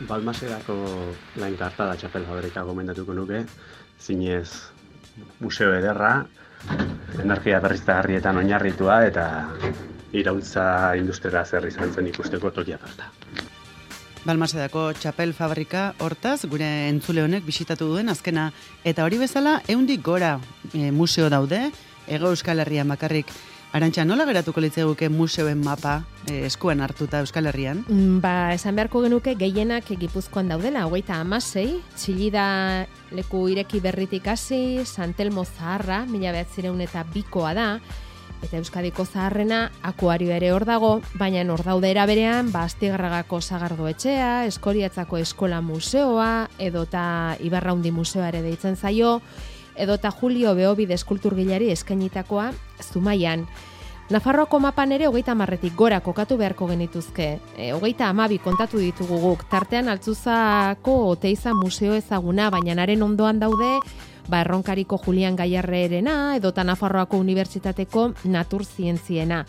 Balmasedako lain karta da txapel fabrika gomendatuko nuke, zinez museo ederra, energia berriztagarrietan oinarritua eta iraultza industriara zer izan zen ikusteko tokia falta. Balmasedako txapel fabrika hortaz gure entzule honek bisitatu duen azkena, eta hori bezala 100 gora museo daude, Hego Euskal Herrian bakarrik. Arantxa, nola geratuko litzeguke museoen mapa eskuan hartuta Euskal Herrian? Esan beharko genuke gehienak Gipuzkoan daudela, 36, Txillida leku ireki berritik hasi, Santelmo Zaharra, 1902koa da, eta Euskadiko zaharrena Akuario ere hor dago, baina hor daude era berean, Astigarragako Sagardo etxea, Eskoriatzako Eskola Museoa, edota Ibarraundi Museoa ere deitzen zaio, edota Julio Beobide eskulturgilari eskainitakoa Zumaian. Nafarroako mapan ere 30 gora kokatu beharko genituzke. 32 kontatu ditugu guk. Tartean Altzuzako Oteiza museo ezaguna, baina haren ondoan daude Erronkariko Julian Gaiarrerena, edota Nafarroako Unibertsitateko Naturzientziena.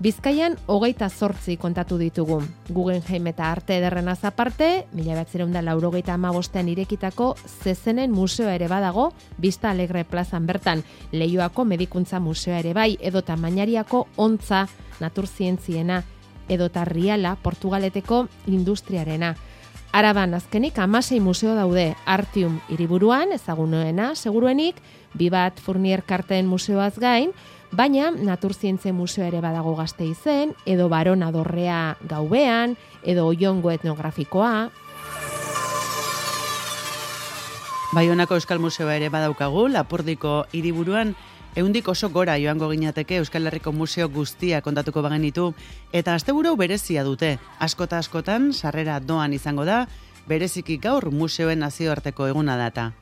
Bizkaian 28 kontatu ditugu. Guggenheim eta Arte Ederrenaz aparte, 1985ean irekitako Zezenen museoa ere badago, Vista Alegre plazan bertan, Leioako Medikuntza museoa ere bai, edota Mañariako Ontza Naturzientziena, edota Riala Portugaleteko Industriarena. Araban azkenik 16 museo daude, Artium hiriburuan, ezagunoena, seguruenik, Bibat Fournier Karten museoaz gain, baina Naturzientzia museo ere badago Gasteizen, edo Barona Dorrea Gaubean, edo Oiongo etnografikoa. Baionako Euskal Museoa ere badaukagu, Lapurdiko hiriburuan, 100 oso gora joango ginateke Euskal Herriko museo guztia kontatuko bagenitu, eta asteburu berezia dute. Askotan sarrera doan izango da, bereziki gaur museoen nazioarteko eguna data.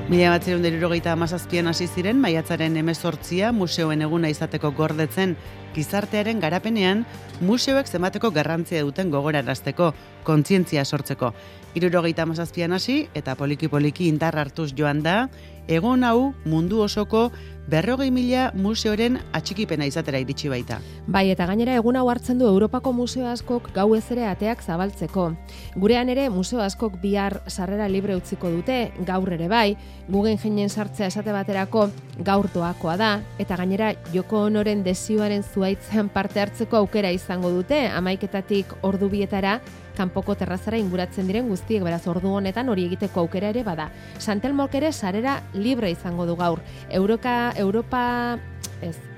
Mila 1977an hasi ziren maiatzaren 18 museoen eguna izateko gordetzen, gizartearen garapenean museoek zenbateko garrantzia duten gogorarazteko, kontzientzia sortzeko. 77an hasi eta poliki-poliki indar hartuz joan da, egun hau mundu osoko 40.000 museoren atxikipena izatera iritsi baita. Bai, eta gainera egun hau hartzen du Europako museo askok gauez ere ateak zabaltzeko. Gurean ere museo askok bihar sarrera libre utziko dute, gaur ere bai, Guggenheimenen sartzea esate baterako gaur doakoa da, eta gainera Joko Onoren desioaren zuaitzean parte hartzeko aukera izango dute, 11:00 ordu bietara, kanpoko terrazara inguratzen diren guztiek, beraz ordu honetan hori egiteko aukera ere bada. Santelmok ere sarera libre izango du gaur.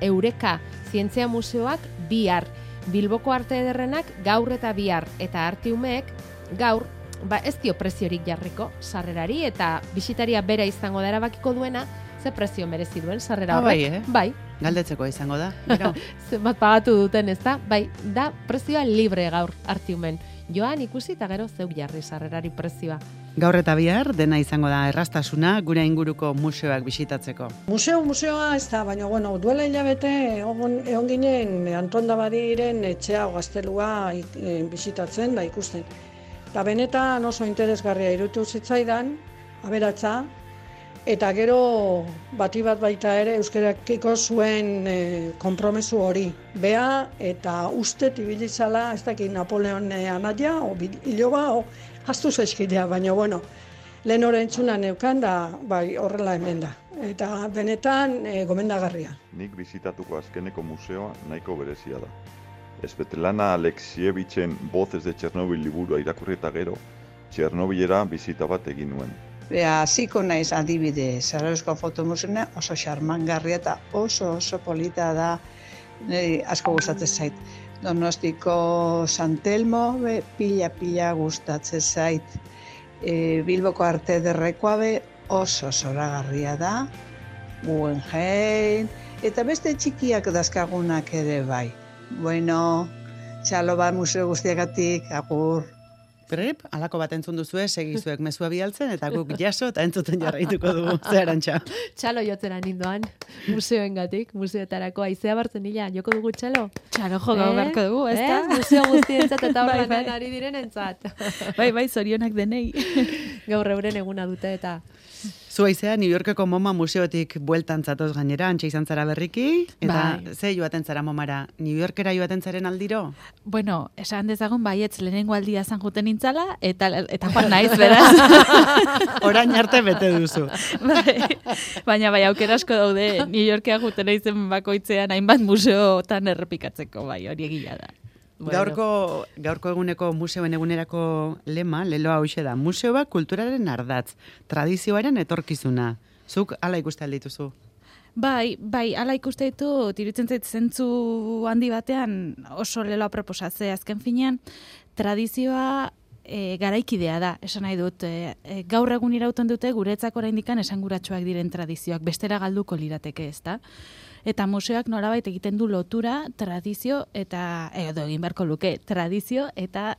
Eureka Zientzia Museoak bihar, Bilboko Arte Ederrenak gaur eta bihar, eta Artiumek gaur, ez dio preziorik jarriko sarrerari, eta bisitaria bera izango da erabakiko duena, ze prezio merezi duen sarrera horrek. Bai. Galdetzeko izango da. Zenbat pagatu duten, ez da? Bai, da prezioa libre gaur Artiumen. Joan ikusi eta gero zeuk jarri sarrerari prezioa. Gaur eta bihar dena izango da erraztasuna gure inguruko museoak bisitatzeko. Museoa ez da, baina duela hilabete egon ginen Anton Dabadiren etxea o gaztelua bisitatzen da ikusten. Eta benetan oso interesgarria iruditu zitzaidan, aberatsa, eta gero bati bat baita ere euskarakiko zuen konpromesu hori. Bea eta ustet ibilizala, ez dakit Napoleon anaia, o iloba, o hastuz eskidea, baina lehen hori entzuna neukan da, bai horrela hemen da. Eta benetan gomendagarria. Nik bizitatuko azkeneko museoa nahiko berezia da. Svetlana Alexievitzen Voces de Chernobyl liburua irakurri eta gero, Txernobilera bizita bat egin nuen. Hasiko naiz adibide, Sarajevo fotomuseoa oso xarmangarria eta oso polita da, asko gustatzen zait. Donostiko Santelmo pila gustatzen zait. Bilboko Arte Ederrekoa oso zoragarria da, Guggenheim, eta beste txikiak dazkagunak ere bai. Bueno, txalo bat museo guztiagatik, agur. Prep, alako bat entzun duzue, segizuek mezua bialtzen, eta guk jaso eta entzuten jarraituko dugu, ze Arantxa. Txalo jotzera nindoan, museoengatik, museoetarako aizea bartzen nila, joko dugu txalo? Txalo joko beharko dugu, ez da? Museo guztientzat eta horrean ari direnentzat. Bai, zorionak denei. gaur euren eguna dute eta... Zuaizea, New Yorkeko MoMA museotik bueltan zatoz gainera, antxe izan zara berriki, eta ze joaten zara MoMara, New Yorkera joaten zaren aldiro? Bueno, esan dezagun baietz lehenengo aldia zan juten nintzala, eta joan naiz, beraz. Orain arte bete duzu. Baina bai, aukera asko daude, New Yorkea juten naizen bakoitzean, hainbat museotan errepikatzeko, bai, hori egia da. Bueno. Gaurko eguneko museoen egunerako lema, leloa hauxe da, museoa kulturaren ardatz, tradizioaren etorkizuna. Zuk hala ikuste aldituzu? Bai, ala ikuste ditu, iruditzen zait zentzu handi batean oso leloa proposatze, azken finean, tradizioa garaikidea da, esan nahi dut. Gaur egun irauten dute guretzako oraindikan esanguratsuak diren tradizioak, bestera galduko lirateke, ezta? Eta museoak nolabait egiten du lotura, tradizio eta, edo egin beharko luke, tradizio eta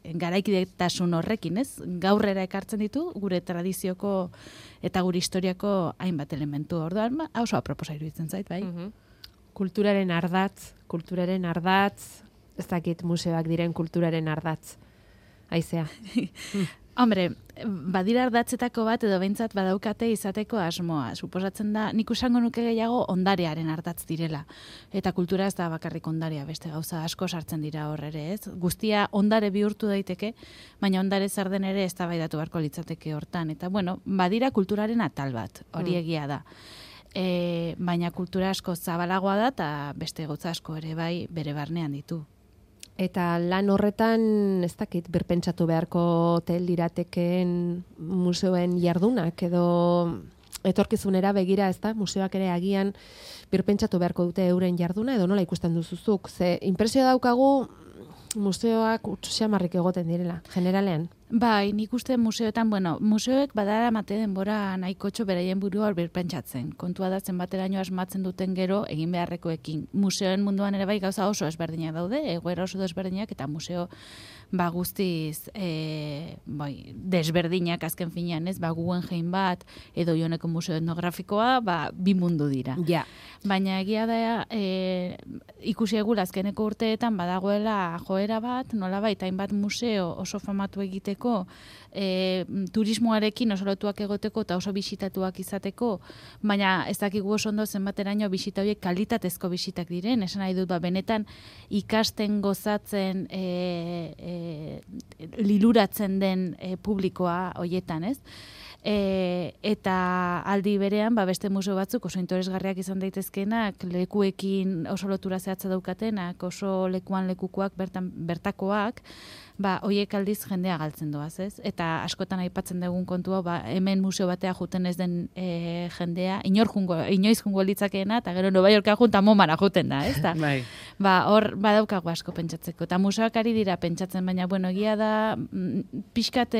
garaikidetasun horrekin, ez? Gaurrera ekartzen ditu gure tradizioko eta gure historiako hainbat elementu. Orduan, oso aproposa iruditzen zait, bai? Kulturaren ardatz, ez dakit museoak diren kulturaren ardatz. Aizea. Hombre, badira ardatzetako bat edo behintzat badaukate izateko asmoa. Suposatzen da, nik usango nuke gehiago ondarearen ardatz direla. Eta kultura ez da bakarrik ondarea, beste gauza asko sartzen dira hor ere, ez? Guztia ondare bihurtu daiteke, baina ondare zer den ere eztabaidatu beharko litzateke hortan. Eta bueno, badira kulturaren atal bat, hori egia da. Baina kultura asko zabalagoa da eta beste gauza asko ere bai bere barnean ditu. Eta lan horretan, ez dakit, birpentsatu beharko lirateken museoen jardunak, edo etorkizunera begira, ez da, museoak ere agian birpentsatu beharko dute euren jarduna, edo nola ikusten duzuzuk. Ze impresio daukagu museoak utxamarrik egoten direla, generalean. Bai, nik uste museoetan, museoek badara mate denbora nahikotxo beraien burua hor birpentsatzen. Kontua da zenbateraino asmatzen duten gero egin beharrekoekin. Museoen munduan ere bai gauza oso ezberdinak daude, egoera oso desberdinak eta museo guztiz desberdinak azken finean, ez? Guggenheim bat edo Ioneko museo etnografikoa, bi mundu dira. Ja. Baina egia da ikusi egula azkeneko urteetan badagoela joera bat, nolabait hainbat museo oso famatu egiteko, turismoarekin oso lotuak egoteko eta oso bisitatuak izateko, baina ez dakigu oso ondo zenbateraino bisita horiek kalitatezko bisitak diren, esan nahi dut, benetan ikasten gozatzen liluratzen den publikoa hoietan, ez? Eta aldi berean, beste museo batzuk oso interesgarriak izan daitezkenak, lekuekin oso lotura zehatza daukatenak, oso lekuan lekukoak, bertakoak, hoiek aldiz jendea galtzen doaz, ez? Eta askotan aipatzen dugun kontua, hemen museo batea juten ez den jendea, inoiz jungo litzakeena, eta gero Nova Yorka junta MoMara juten da, ez da? Hor badaukagu asko pentsatzeko. Eta museoak ari dira pentsatzen, baina, egia da, pixkat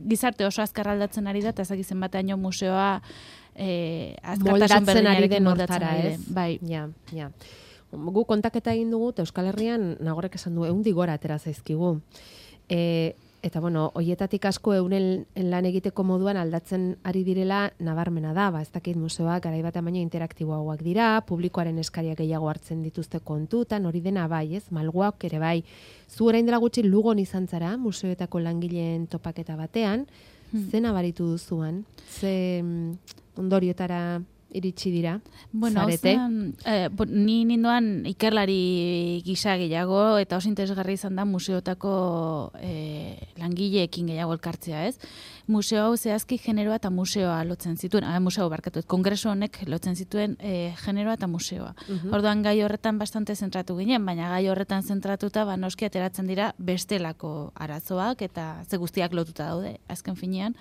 gizarte oso azkar aldatzen ari da, eta ezagizen batean museoa azkartasun berdinarekin moldatzen ari den. Bai. Ja. Gu kontaketa egin dugu, Euskal Herrian nagorek esan du, 100 gora atera zaizkigu. Eta, hoietatik asko euren lan egiteko moduan aldatzen ari direla nabarmena da. Ez dakit museoak garai batean baino interaktiboagoak dira, publikoaren eskaria gehiago hartzen dituzte kontutan, hori dena bai, ez? Malguak ere bai. Zu orain dela gutxi Lugon izan zara, museoetako langileen topaketa batean, ze nabaritu duzuan? Ze ondoriotara iritsi dira, zarete? Ni nindoan ikerlari gisa gehiago, eta oso interesgarri izan da museotako langileekin gehiago elkartzea, ez? Museo hau zehazki generoa eta museoa lotzen zituen, kongreso honek lotzen zituen generoa eta museoa. Orduan gai horretan bastante zentratu ginen, baina gai horretan zentratuta noski ateratzen dira bestelako arazoak eta ze guztiak lotuta daude, azken finean.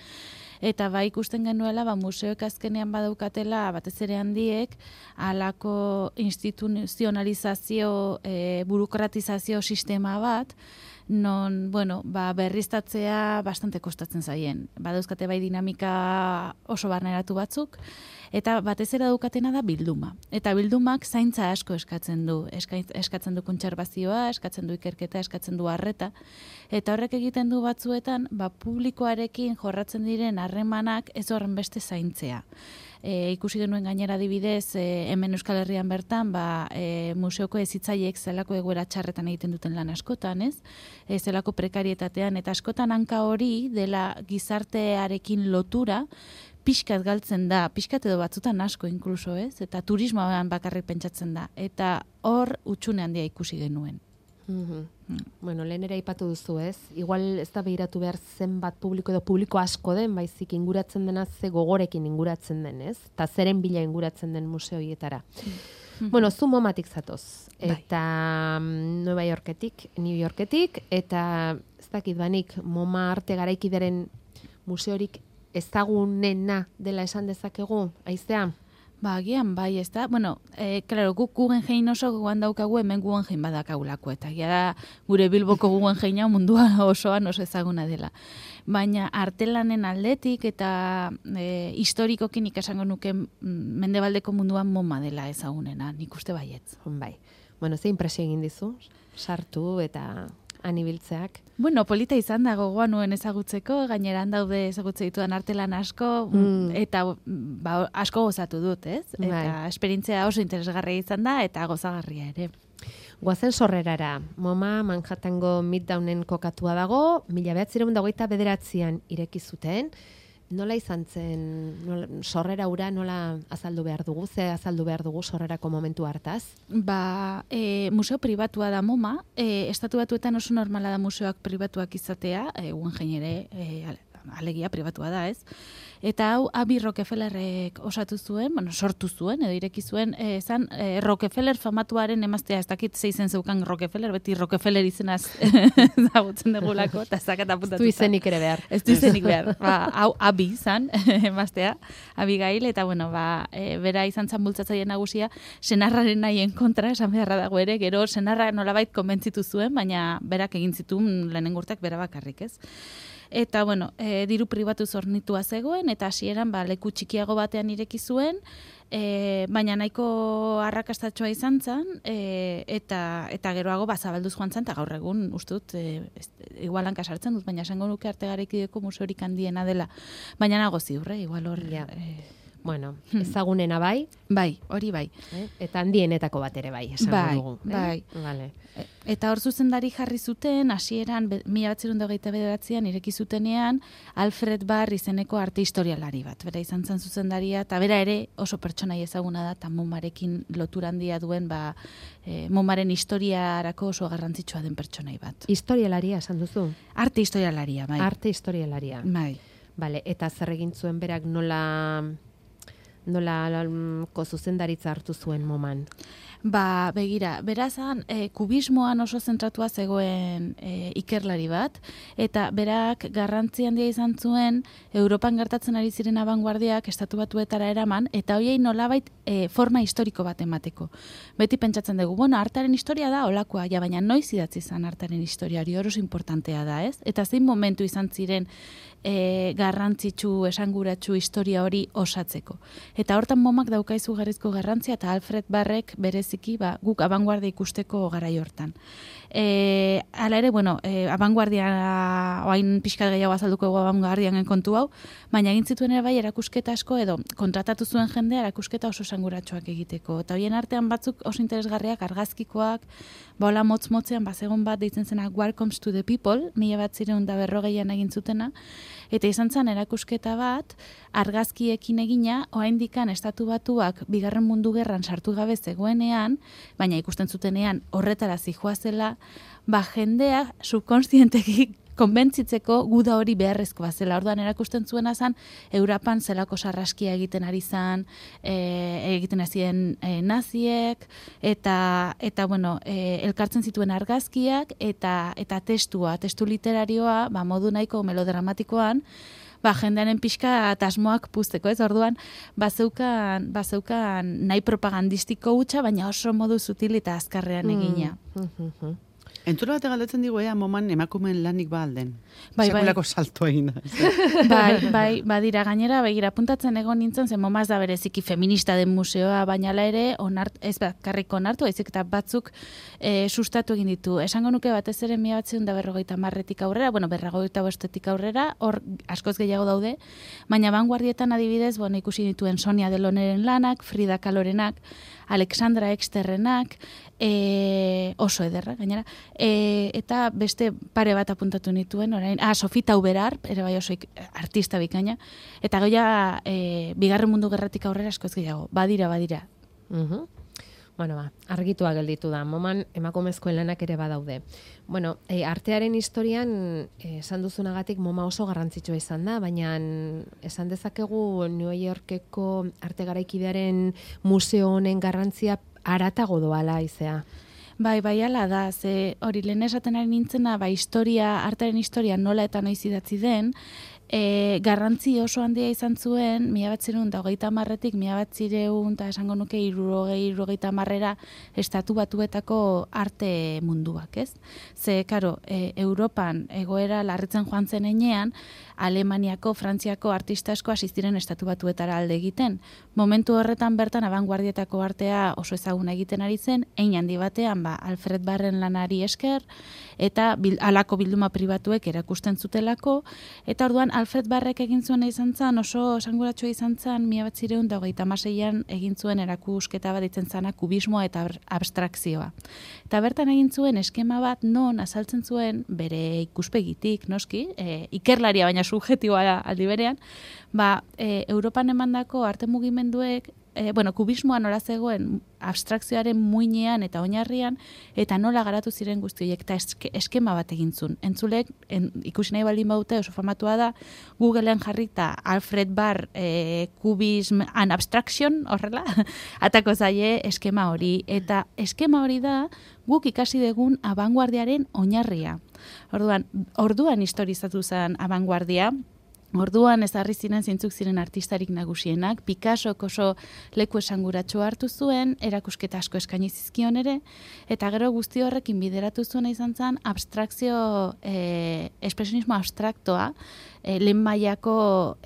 Eta ikusten genuela, museoek azkenean badaukatela, batez ere handiek, halako instituzionalizazio, burokratizazio sistema bat, non, berriztatzea bastante kostatzen zaien. Badauzkate bai dinamika oso barneratu batzuk, Eta batez ere daukatena da bilduma. Eta bildumak zaintza asko eskatzen du. Eskatzen du kontserbazioa, eskatzen du ikerketa, eskatzen du arreta. Eta horrek egiten du batzuetan, publikoarekin jorratzen diren harremanak ez horren beste zaintzea. Ikusi genuen gainera adibidez, hemen Euskal Herrian bertan, museoko hezitzaileek zelako egoera txarretan egiten duten lan askotan, ez? Zelako prekarietatean, eta askotan hanka hori dela gizartearekin lotura, pixkat galtzen da, pixkat edo batzutan asko inkluso, ez? Eta turismoan bakarrik pentsatzen da. Eta hor utxune handia ikusi genuen. Bueno, lehen ere aipatu duzu, ez? Igual ez da behiratu behar zenbat publiko edo publiko asko den, baizik inguratzen dena ze gogorekin inguratzen den, ez? Eta zeren bila inguratzen den museoietara. Bueno, zu MoMatik zatoz. Eta New Yorketik, eta ez dakit banik MoMa arte garaikideren museorik ezagunena dela esan dezakegu, aizea? Agian bai, ez da? Bueno, claro, guk Guggenheim oso guan daukagu, hemen Guggenheim badakagulako, eta da gure Bilboko Guggenheim mundua osoan oso ezaguna dela. Baina artelanen aldetik eta historikokin ikasango nuke mendebaldeko munduan MoMa dela ezagunena, nik uste baietz. Bai. Bueno, ze impresio egin dizu? Sartu eta anibiltzeak. Bueno, polita izan da gogoa nuen ezagutzeko, gaineran daude ezagutze ditudan artelan asko, eta asko gozatu dut, ez? Eta esperientzia oso interesgarria izan da, eta gozagarria ere. Goazen Sorrerara, MoMa Manhattango Midtownen kokatua dago, 1929an ireki zuten. Nola izan zen, Sorrera ura nola azaldu behar dugu, ze azaldu behar dugu Sorrerako momentu hartaz? Museo pribatua da MoMa, estatu batuetan oso normala da museoak pribatuak izatea, Guggenheim ere alegia pribatua da, ez? Eta hau Abi Rockefellerrek osatu zuen, sortu zuen, edo ireki zuen, Rockefeller famatuaren emaztea, ez dakit zeizen zeukan Rockefeller, beti Rockefeller izenaz zagutzen degulako, eta zakat apuntatuta. Ez du izenik ere behar. Ez du izenik behar. Hau Abi izan, emaztea, Abigail, eta bera izan zan bultzatzaile nagusia, senarraren nahien kontra, esan beharra dago ere, gero senarra nolabait konbentzitu zuen, baina berak egin zituen lehenengurtak bera bakarrik, ez? Eta, diru pribatu zornitua zegoen, eta hasieran leku txikiago batean ireki zuen, baina nahiko arrakastatxoa izan zen, eta geroago zabalduz joan zen, eta gaur egun, uste dut, igual hanka sartzen dut, baina esango nuke arte garaikideko museorik handiena dela. Baina nago ziur, igual hor... Bueno, ezagunena bai? Bai, hori bai. Eta handienetako bat ere bai, esango dugu. Bai, Vale. Eta hor zuzendari jarri zuten, hasieran 1929an ireki zutenean, Alfred Barr izeneko arte historialari bat. Bera izan zen zuzendaria, eta bera ere oso pertsonai ezaguna da, eta MoMarekin lotura handia duen, MoMaren historiarako oso garrantzitsua den pertsonai bat. Historialaria, esan duzu? Arte historialaria, bai. Arte historialaria. Bai. Vale, eta zer egin zuen berak nolako zuzendaritza hartu zuen MoMan? Begira, berazan, kubismoan oso zentratua zegoen ikerlari bat, eta berak garrantzi handia izan zuen Europan gertatzen ari ziren abanguardiak estatu batuetara eraman, eta hoiei nolabait forma historiko bat emateko. Beti pentsatzen dugu, artearen historia da olakoa, baina noiz idatzi izan artearen historia hori oso importantea da, ez? Eta zein momentu izan ziren garrantzitsu, esanguratsu historia hori osatzeko. Eta hortan MoMak dauka izugarrizko garrantzia, eta Alfred Barrek bereziki guk abanguardia ikusteko garai hortan. Hala ere, abanguardia, oain pixkat gehiago azalduko ego abanguardian kontu hau, baina egin zituen ere bai erakusketa asko, edo kontratatu zuen jendea erakusketa oso esanguratsuak egiteko. Eta horien artean batzuk oso interesgarriak, argazkikoak, hola motz-motzean bazegon bat deitzen zena Welcome to the People, 1940an egin zutena, eta izan zen erakusketa bat, argazkiekin egina, oraindikan estatu batuak Bigarren Mundu Gerran sartu gabe zegoenean, baina ikusten zutenean horretara zihoazela, jendea subkonstienteki konbentzitzeko guda hori beharrezkoa zela. Orduan erakusten zuena zen, Europan zelako sarraskia egiten ari zen, egiten hazien naziek, eta elkartzen zituen argazkiak, eta testu literarioa, modu nahiko melodramatikoan, jendearen pixka asmoak puzteko, ez? Orduan, bazeukan nahi propagandistiko hutsa, baina oso modu sutil eta azkarrean egina. Entzula bate galdetzen digu, moman emakumeen lanik ba alden. Bai, Sekulako salto egin da. Bai, badira gainera, begira, puntatzen egon nintzen, zen MoMA ez da bereziki feminista den museoa, baina ere, ez bakarrik onartu, ezik eta batzuk sustatu egin ditu. Esango nuke batez ere 1950etik aurrera, 55etik aurrera, hor askoz gehiago daude, baina vanguardietan adibidez, ikusi dituen Sonia Deloneren lanak, Frida Kahlorenak, Alexandra Exterrenak, oso ederra, gainera, eta beste pare bat apuntatu nituen, orain, Sofi Tauberar, ere bai oso artista bikaina, eta goia bigarren mundu gerratik aurrera askoz gehiago, badira. Bueno, argitua gelditu da, MoMan emakumezkoen lanak ere badaude. Bueno, artearen historian, esan duzunagatik MoMA oso garrantzitsua izan da, baina esan dezakegu New Yorkeko arte garaikidearen museo honen garrantzia aratago doala izea. Bai, ala da, ze hori lehen esaten ari nintzena, artearen historia nola eta noiz idatzi den, garrantzi oso handia izan zuen, 1930etik 1900 eta esango nuke 1930 estatu batuetako arte munduak, ez? Ze, karo, Europan egoera larritzen joan zen enean, Alemaniako, Frantziako artista asko hasi ziren estatu batuetara alde egiten. Momentu horretan bertan abanguardietako artea oso ezaguna egiten ari zen, hein handi batean Alfred Barren lanari esker, eta halako bilduma pribatuek erakusten zutelako, eta orduan Alfred Barrek egin zuena izan zen, oso esanguratsua izan zen, 1926an egin zuen erakusketa bat ditzen zana kubismoa eta abstrakzioa. Eta bertan egin zuen eskema bat non azaltzen zuen bere ikuspegitik, noski, ikerlaria baina subjektiboa aldi berean, Europan emandako arte mugimenduek kubismoa nola zegoen abstrakzioaren muinean eta oinarrian, eta nola garatu ziren guzti horiek, eta eskema bat egin zuen. Entzulek, ikusi nahi baldin baute, oso formatua da, Googlean jarrita Alfred Barr Cubism and Abstraction, horrela, atako zaie eskema hori. Eta eskema hori da, guk ikasi dugun abanguardiaren oinarria. Orduan historizatu zen abanguardia, orduan ezarri ziren zeintzuk ziren artistarik nagusienak, Picassok oso leku esanguratsua hartu zuen, erakusketa asko eskaini zizkion ere, eta gero guzti horrekin bideratu zuena izan zen abstrakzio, espresionismo abstraktoa, lehen mailako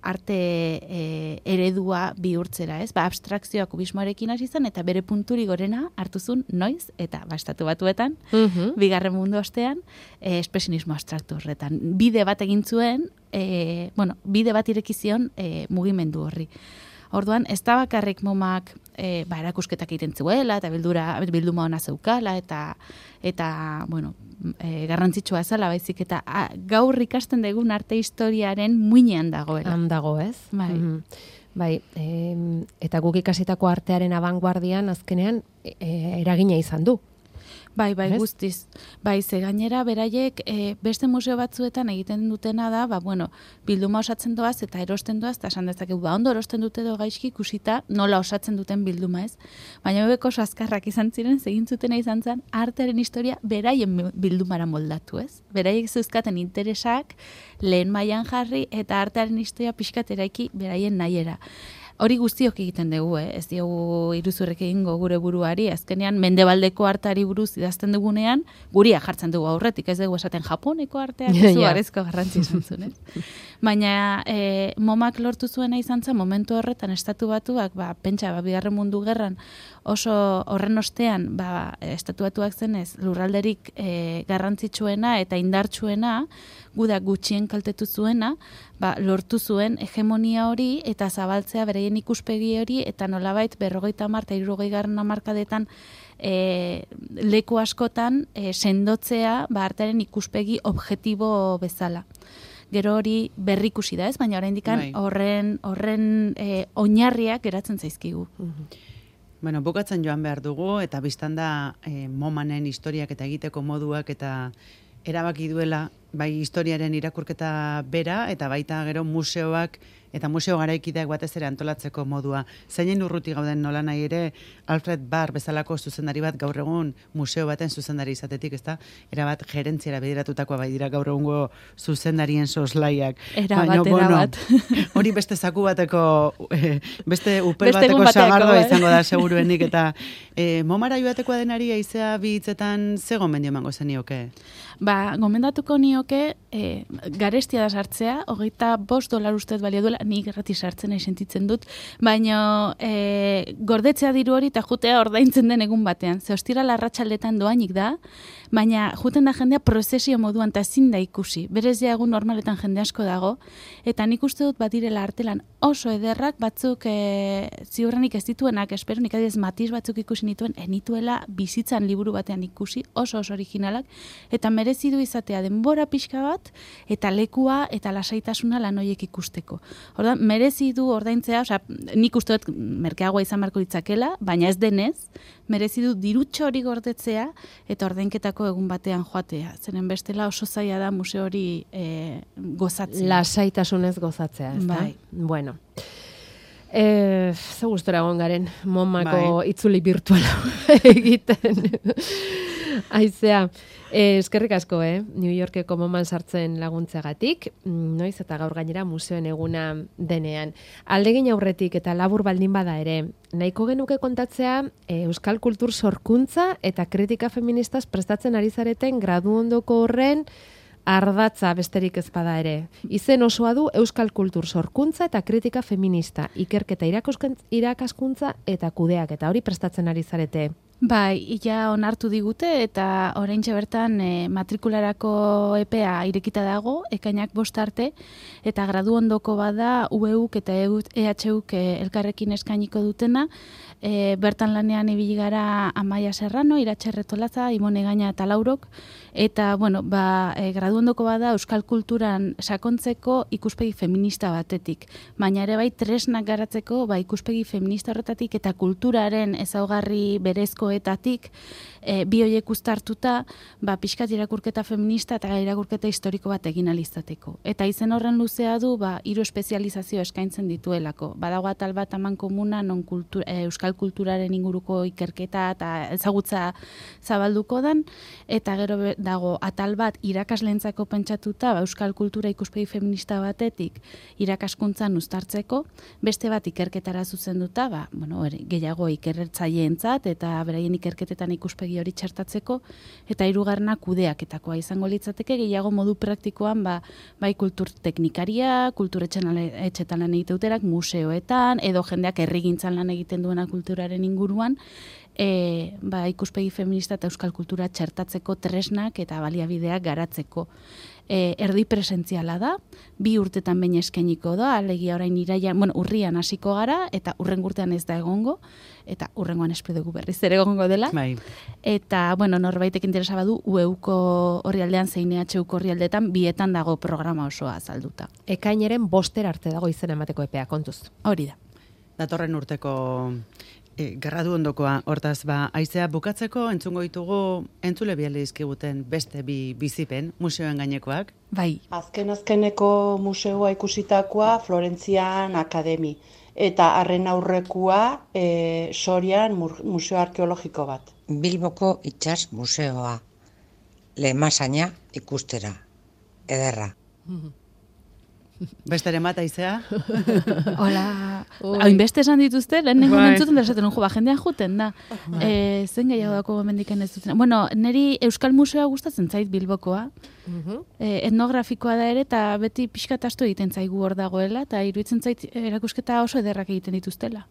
arte eredua bihurtzera, ez? Abstrakzioa kubismoarekin hasi zen, eta bere punturi gorena hartu zuen noiz, eta estatu batuetan, bigarren mundu ostean, espresionismo abstraktu horretan. Bide bat egin zuen, bide bat ireki zion mugimendu horri. Orduan, ez da bakarrik MoMak erakusketak egiten zuela, eta bilduma ona zeukala, eta garrantzitsua zela, baizik, eta gaur ikasten dugun arte historiaren muinean dagoela. Han dago, ez? Bai, eta guk ikasitako artearen abanguardian azkenean eragina izan du. Bai, guztiz. Bai, ze gainera beraiek beste museo batzuetan egiten dutena da, bilduma osatzen doaz eta erosten doaz, eta esan dezakegu, ondo erosten dute do gaizki ikusita nola osatzen duten bilduma, ez? Baina bebeko oso azkarrak izan ziren, egin zutena izan zen, artearen historia beraien bildumara moldatu, ez? Beraiek zeuzkaten interesak lehen mailan jarri eta artearen historia pixkat eraiki beraien nahiera. Hori guztiok egiten dugu, ez diogu iruzurrek egingo gure buruari, azkenean mendebaldeko arteari buruz idazten dugunean, guria jartzen dugu aurretik, ez dugu esaten Japoneko arteak izugarrizko garrantzi izan zuen. Baina MoMak lortu zuena izan zen, momentu horretan estatu batuak, pentsa, bigarren mundu gerran, oso horren ostean, estatu batuak zenez, lurralderik garrantzitsuena eta indartsuena, gudak gutxien kaltetu zuena, lortu zuen hegemonia hori eta zabaltzea bereien ikuspegi hori, eta nolabait 50 eta 60 hamarkadetan leku askotan sendotzea artearen ikuspegi objektibo bezala. Gero hori berrikusi da, ez? Baina oraindik horren oinarriak geratzen zaizkigu. Bukatzen joan behar dugu, eta biztan da MoManen historiak eta egiteko moduak eta erabaki duela bai historiaren irakurketa bera, eta baita gero museoak eta museo garaikideak batez ere antolatzeko modua. Zeinen urruti gauden nola nahi ere, Alfred Barr bezalako zuzendari bat gaur egun museo baten zuzendari izatetik, ezta? Erabat gerentziara bideratutakoa bai dira gaur egungo zuzendarien soslaiak. Erabat. Hori beste zaku bateko, beste upel bateko sagardoa izango da seguruenik, eta momara joatekoa denari aizea bi hitzetan ze gomendio emango zenioke? Gomendatuko nioke garestia da sartzea, $25 ustez balio duela, nik gratis sartzen nahi sentitzen dut, baina gordetzea diru hori eta jutea ordaintzen den egun batean. Ze ostiral arratsaldetan doainik da, baina juten da jendea prozesio moduan eta ezin da ikusi. Berez ja egun normaletan jende asko dago, eta nik uste dut badirela artelan oso ederrak, batzuk ziurrenik ez dituenak, espero nik adiez Matiz batzuk ikusi nituen, enituela bizitzan liburu batean ikusi, oso originalak, eta merezi du izatea denbora pixka bat, eta lekua eta lasaitasuna lan horiek ikusteko. Ordan merezi du ordaintzea, nik uste dut merkeagoa izan beharko litzakela, baina ez denez, merezi du dirutxo hori gordetzea eta ordainketako egun batean joatea. Zeren bestela oso zaila da museo hori gozatzea. Lasaitasunez gozatzea, ez da? Bai. Bueno. Ze gustora egon garen momako itzuli virtuala egiten. Aizea, eskerrik asko, New Yorkeko moman sartzen laguntzeagatik, noiz eta gaur gainera museoen eguna denean. Aldegin aurretik eta labur baldin bada ere, nahiko genuke kontatzea euskal kultur sorkuntza eta kritika feministaz prestatzen ari zareten gradu ondoko horren ardatza besterik ez bada ere. Izen osoa du euskal kultur sorkuntza eta kritika feminista, ikerketa irakaskuntza eta kudeak, eta hori prestatzen ari zarete. Bai, ia onartu digute eta oraintxe bertan matrikularako epea irekita dago, ekainak 5 arte, eta gradu ondoko bada UEUk eta EHUk elkarrekin eskainiko dutena, bertan lanean ibili gara Amaia Serrano, Iratxe Retolaza, Imone Gaina eta Laurok, eta gradu ondoko bada euskal kulturan sakontzeko ikuspegi feminista batetik, baina ere bai tresnak garatzeko ikuspegi feminista horretatik eta kulturaren ezaugarri berezkoetatik bi horiek uztartuta pixkat irakurketa feminista eta irakurketa historiko bat egin alizateko. Eta izen horren luzea du 3 espezializazio eskaintzen dituelako. Badago atal bat amankomuna non euskal kulturaren inguruko ikerketa eta ezagutza zabalduko dan, eta gero dago atal bat irakasleentzako pentsatuta euskal kultura ikuspegi feminista batetik irakaskuntzan uztartzeko, beste bat ikerketara zuzenduta, gehiago ikertzaileentzat eta beraien ikerketetan ikuspegi hori txertatzeko, eta 3. kudeaketakoa izango litzateke, gehiago modu praktikoan bai kultur teknikaria, kulturetxetan lan egiteuterak, museoetan, edo jendeak herrigintzan lan egiten duena kulturaren inguruan, ikuspegi feminista eta euskal kultura txertatzeko tresnak eta baliabideak garatzeko. Erdi presentziala da, 2 urtetan behin eskainiko da, alegia orain urrian hasiko gara, eta hurrengo urtean ez da egongo, eta hurrengoan espero dugu berriz ere egongo dela. Bai. Eta, norbaitek interesa badu, UEUko orrialdean zein EHUko orrialdetan, 2etan dago programa osoa azalduta. Ekaineren 5 arte dago izena emateko epea, kontuz. Hori da. Datorren urteko gradu ondokoa, hortaz, aizea bukatzeko entzungo ditugu entzule biale dizkiguten beste 2 bizipen, museoen gainekoak. Bai. Azkeneko museoa ikusitakoa Florentzian Akademi, eta harren aurrekua Sorian museo arkeologiko bat. Bilboko itsas museoa, Lemasaina ikustera, ederra. Besteren bat, aizea? Hola. Hainbeste esan dituzte, lehenengo mentzuten da esaten, jendean juten da. Zen gehiago dako mendiken ez duten. Neri Euskal Museoa gustatzen zait Bilbokoa. Etnografikoa da ere, eta beti pixkat astu egiten zaigu hor dagoela, eta iruditzen zait erakusketa oso ederrak egiten dituztela.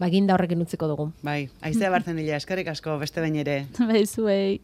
Ginda horrekin utziko dugu. Bai, aizea Bartzenilla, eskerrik asko, beste behin ere. Bai, zuei.